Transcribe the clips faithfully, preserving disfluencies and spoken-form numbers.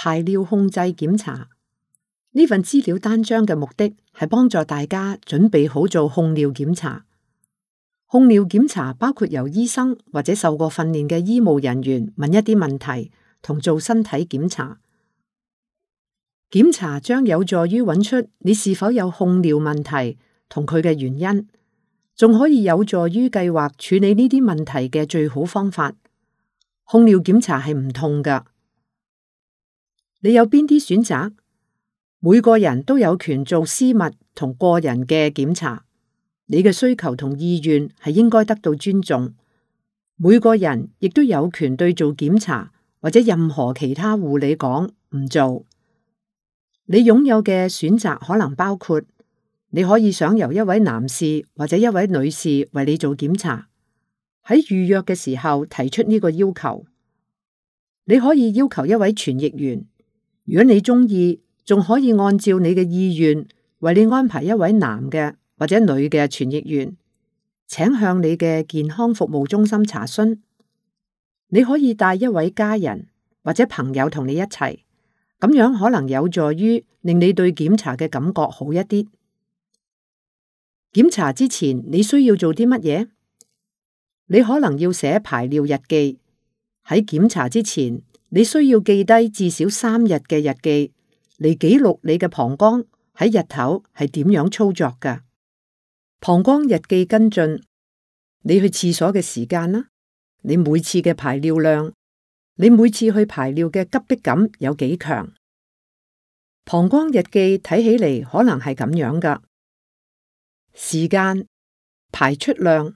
排尿控制檢查。呢份資料單張嘅目的係幫助大家準備好做控尿檢查。控尿檢查包括由醫生或者受過訓練嘅醫務人員問一啲問題，同做身體檢查。檢查將有助於揾出你是否有控尿問題同佢嘅原因，仲可以有助於計劃處理呢啲問題嘅最好方法。控尿檢查係唔痛㗎。你有邊啲選擇？每個人都有權做私密同個人嘅檢查，你嘅需求同意願係應該得到尊重。每個人亦都有權對做檢查或者任何其他護理講唔做。你擁有嘅選擇可能包括，你可以想由一位男士或者一位女士為你做檢查，喺預約嘅時候提出呢個要求。你可以要求一位傳譯員，如果你中意，仲可以按照你嘅意願為你安排一位男嘅或者女嘅傳譯員，請向你嘅健康服務中心查詢。你可以帶一位家人或者朋友同你一齊，咁樣可能有助於令你對檢查嘅感覺好一啲。檢查之前你需要做啲乜嘢？你可能要寫排尿日記。喺檢查之前，你需要記低至少三日嘅日記，嚟記錄你嘅膀胱喺日頭係點樣操作㗎。膀胱日記跟進，你去廁所嘅時間啦，你每次嘅排尿量，你每次去排尿嘅急迫感有幾強。膀胱日記睇起嚟可能係咁樣㗎：時間、排出量、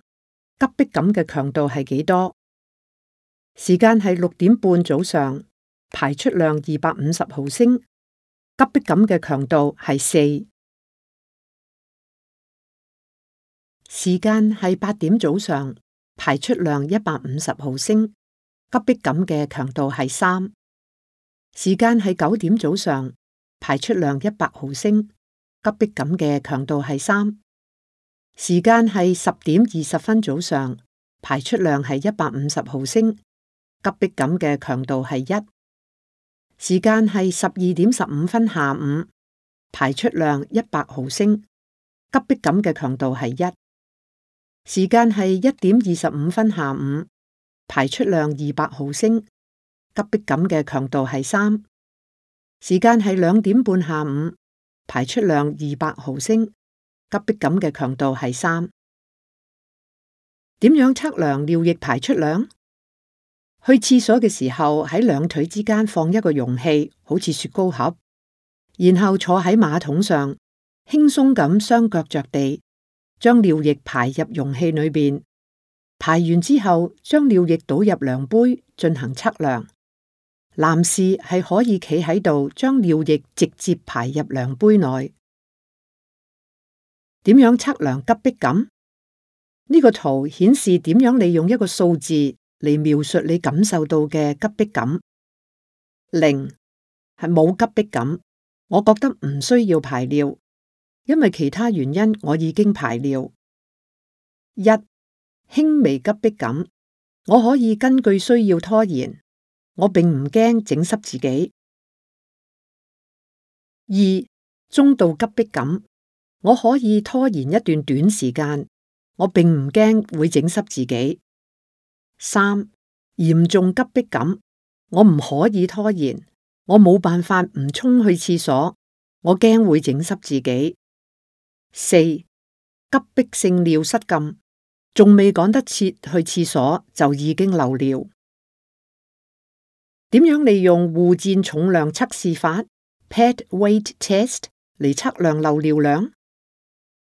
急迫感嘅強度係幾多？時間係六點半早上，排出量二百五十毫升，急迫感嘅強度係四。時間係八點早上，排出量一百五十毫升，急迫感嘅強度係三。時間係九點早上，排出量一百毫升，急迫感嘅強度係三。時間係十點二十分早上，排出量係一百五十毫升，急迫感嘅強度係一。時間係十二點十五分下午，排出量一百毫升，急迫感嘅強度係一。時間係一點二十五分下午，排出量二百毫升，急迫感嘅強度係三。時間係兩點半下午，排出量二百毫升，急迫感嘅強度係三。點樣測量尿液排出量？去廁所嘅時候，喺兩腿之間放一個容器，好似雪糕盒，然後坐喺馬桶上，輕鬆咁雙腳着地，將尿液排入容器裏邊。排完之後，將尿液倒入量杯進行測量。男士係可以企喺度，將尿液直接排入量杯內。點樣測量急迫感？呢個圖顯示點樣利用一個數字嚟描述你感受到嘅急迫感。零係冇急迫感，我覺得唔需要排尿，因為其他原因我已經排尿。一輕微急迫感，我可以根據需要拖延，我並唔驚整濕自己。二中度急迫感，我可以拖延一段短時間，我並唔驚會整濕自己。三嚴重急迫感，我唔可以拖延，我冇辦法唔衝去廁所，我驚會整濕自己。四急迫性尿失禁，仲未趕得切去廁所就已經漏尿。點樣利用護墊重量測試法 （Pad Weight Test） 嚟測量漏尿量？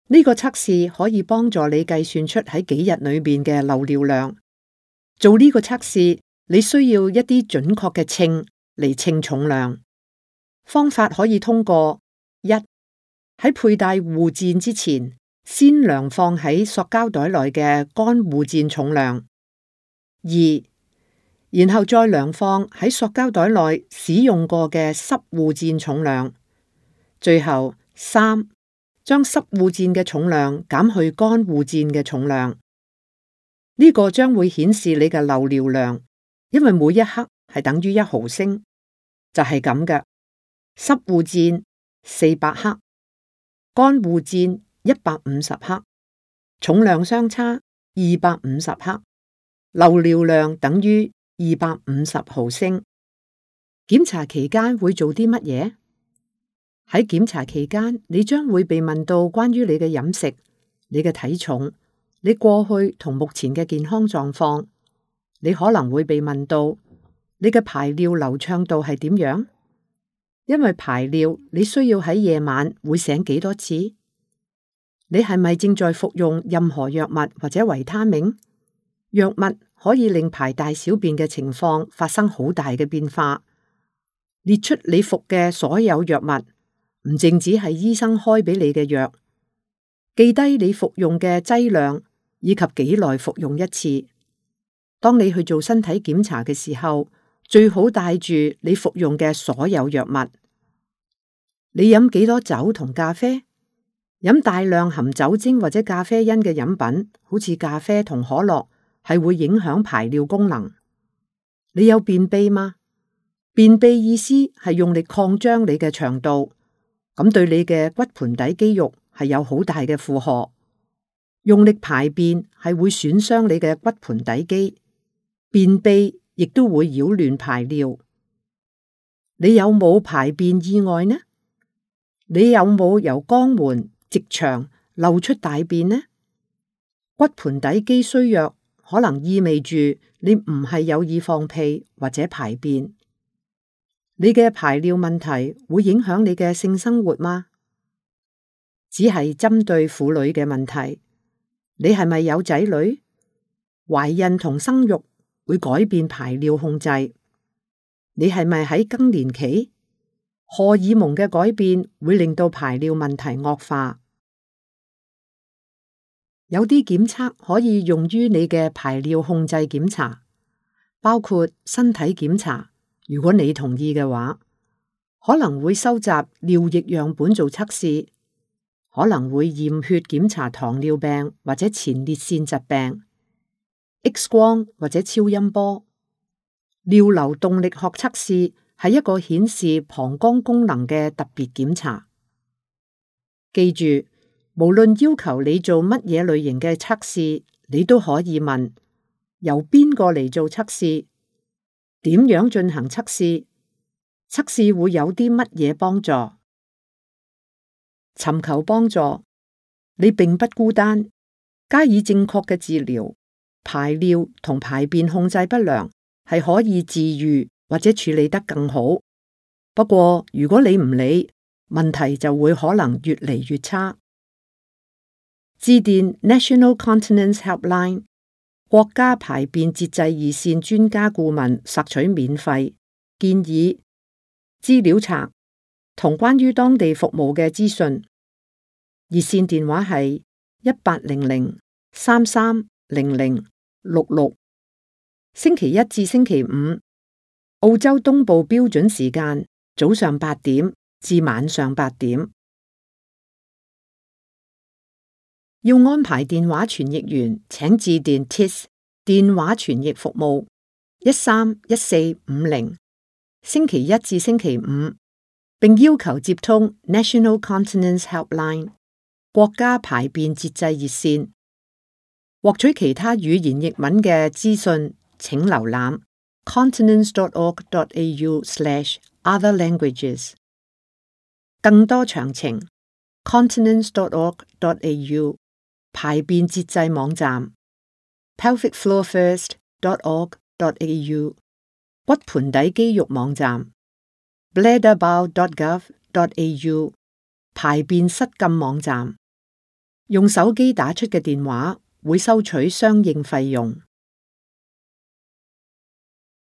呢個測試可以幫助你計算出喺幾日裏邊嘅漏尿量。做呢個測試，你需要一啲準確嘅稱嚟稱重量。方法可以通過：一喺佩戴護墊之前，先量放喺塑膠袋內嘅乾護墊重量；二然後再量放喺塑膠袋內使用過嘅濕護墊重量；最後三將濕護墊嘅重量減去乾護墊嘅重量。呢個將會顯示你嘅漏尿量，因為每一克係等於一毫升。就係咁嘅，濕護墊四百克，乾護墊一百五十克，重量相差二百五十克，流尿量等於二百五十毫升。檢查期間會做啲乜嘢？喺檢查期間，你將會被問到關於你嘅飲食、你嘅體重、你過去同目前嘅健康狀況。你可能會被問到你嘅排尿流暢度係點樣？因為排尿你需要喺夜晚會醒幾多次？你係咪正在服用任何藥物或者維他命？藥物可以令排大小便嘅情況發生好大嘅變化。列出你服嘅所有藥物，唔淨止係醫生開俾你嘅藥，記低你服用嘅劑量以及幾耐服用一次。當你去做身體檢查嘅時候，最好帶住你服用嘅所有藥物。你飲幾多酒同咖啡？飲大量含酒精或者咖啡因嘅飲品，好似咖啡同可樂，係會影響排尿功能。你有便秘嗎？便秘意思係用力擴張你嘅腸道，咁對你嘅骨盆底肌肉係有好大嘅負荷。用力排便係會損傷你嘅骨盆底肌，便秘亦都會擾亂排尿。你有冇排便意外呢？你有冇由肛門直腸漏出大便呢？骨盆底肌衰弱可能意味住你唔係有意放屁或者排便。你嘅排尿問題會影響你嘅性生活嗎？只係針對婦女嘅問題。你係咪有仔女？懷孕同生育會改變排尿控制。你係咪喺更年期？荷爾蒙嘅改變會令到排尿問題惡化。有啲檢測可以用於你嘅排尿控制檢查，包括身體檢查。如果你同意嘅話，可能會收集尿液樣本做測試，可能會驗血檢查糖尿病或者前列腺疾病、X 光或者超音波。尿流動力學測試係一個顯示膀胱功能嘅特別檢查。記住，無論要求你做乜嘢類型嘅測試，你都可以問由邊個嚟做測試。點樣進行測試？測試會有啲乜嘢幫助？尋求幫助，你並不孤單。加以正確嘅治療，排尿同排便控制不良係可以治癒或者處理得更好。不過如果你唔理，問題就會可能越嚟越差。致電 National Continence Helpline。國家排便節制熱線專家顧問索取免費建議資料冊同關於當地服務嘅資訊。熱線電話係一八零零三三零零六六。星期一至星期五，澳洲東部標準時間早上八點至晚上八點。要安排電話傳譯員，請致電 T I S 電話傳譯服務一三一四五零，星期一至星期五，並要求接通 National Continence Helpline 國家排便節制熱線。獲取其他語言譯文嘅資訊，請瀏覽 continence dot org dot a u slash other languages。更多詳情 continence dot org dot a u。排便節制網站 pelvic floor first dot org dot a u。 骨盆底肌肉網站 bladder bow dot gov dot a u。 排便失禁網站。用手機打出嘅電話會收取相應費用。